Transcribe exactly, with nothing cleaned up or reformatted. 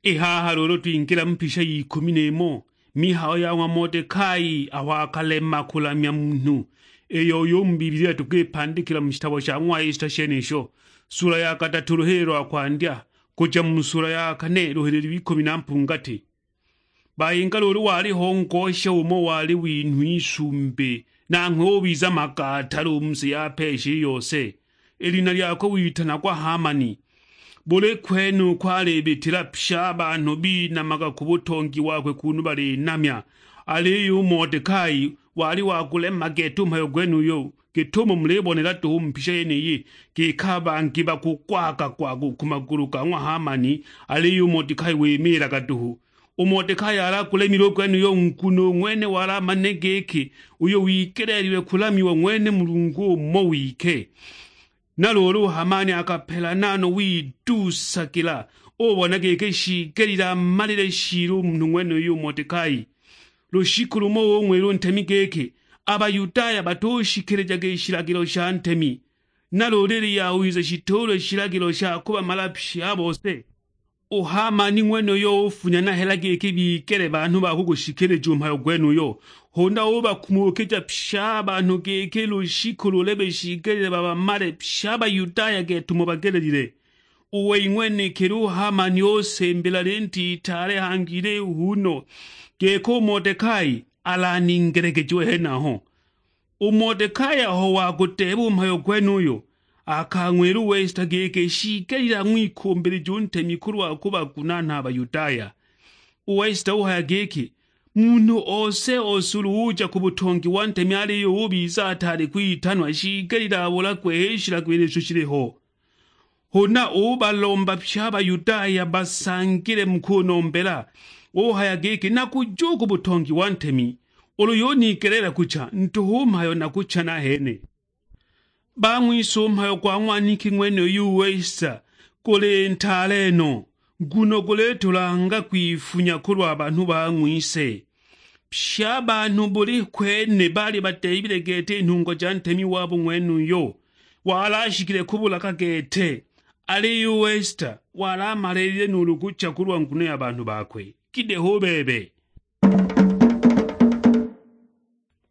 I haha luulu twingila mu pisha y'ikumi n'imo, mihayo ya ng'wa Modekai aho akalema kulamya munhu, iyo uyu u mu Bibilia tukipandikila mu shitabo sha ng'wa Esita shenisho, sula ya kadatu luhili lwa kwandya, kuja mu sula ya kane luhili lw'ikumi na mpungati. Bayinga luulu waliho ngosha umo wali winhwa isumbi, nanghwe ubiza magatala u mu si ya Peshi i yose. I lina lyakwe witanagwa Hamani. Buli kwene uko alibitila, pye a banhu binamaga ku butongi wakwe kunu balinamya. Aliyo u Modekai wali wa kulema gete u mhayo gwenuyo, gitumo mulibonela duhu u mu mpisha yeniyi, giki a bangi bakugwaga-gwaga u ku magulu ga ng'wa Hamani, aliyo u Modekai wimiilaga duhu. U Modekai alagulemile u gwenuyo, nguno u ng'wene wali amanile giki uyo wigeleelilwe kulamiwa ng'wene Mulungu umo wike. Na luulu u Hamani akapelana no, widuusagila, ubona giki shiigelile amalile shiili u munhu ng'wenuyu u Modekai. Lushiku lumo ung'wila u ntemi giki, a Bayudaya batushikilijaga i shilagilo sha ntemi, na luulu ili yawiza shituulwe shilagilo sha kubamala pye a bose. U Hamani ng'wenuyo ufunya na hela giki bigele banhu ba kugushikilija u mhayo gwenuyo, huna ubakumuukija pye a banhu giki lushiku lulebe shiigelile babamale pye a Bayudaya gete umo bagelelile. U wei ng'wenekili u Hamani usimbila linti itaale hangi ilihu no, giki u Modekai alaningelegejiwe henaho. U Modekai aho wagudeeba u mhayo gwenuyo, akang'wila u Esita giki shiigelile ang'wikumbilije u ntemi kulwa kubagunaana a Bayudaya. U Esita uhaya giki, munhu ose-ose ulu uja ku butongi wa ntemi aliyo ubiza ataali kwitanwa, shiigelile abulagwe h'i shilagilo isho shiliho. Huna ubalomba pye a Bayudaya basangile mu kunombela, uhaya giki, nakuja u ku butongi wa ntemi, ulu yunigeleela kucha, ntuhu mhayo nakucha nahene. Bang'wise u mhayo gwa ng'waniki ng'wenuyu u Esita guli ntaale no, nguno gulitulanga kwifunya kulwa banhu bang'wise. Pye a banhu buli kwene baali badeebile gete i nhungwa ja ntemi wabo ng'wenuyo, wali ashikile kubulaga gete, aliyo u Esita wali amaliilile nuulu kucha kulwa nguno ya banhu bakwe. Gideho u bebe!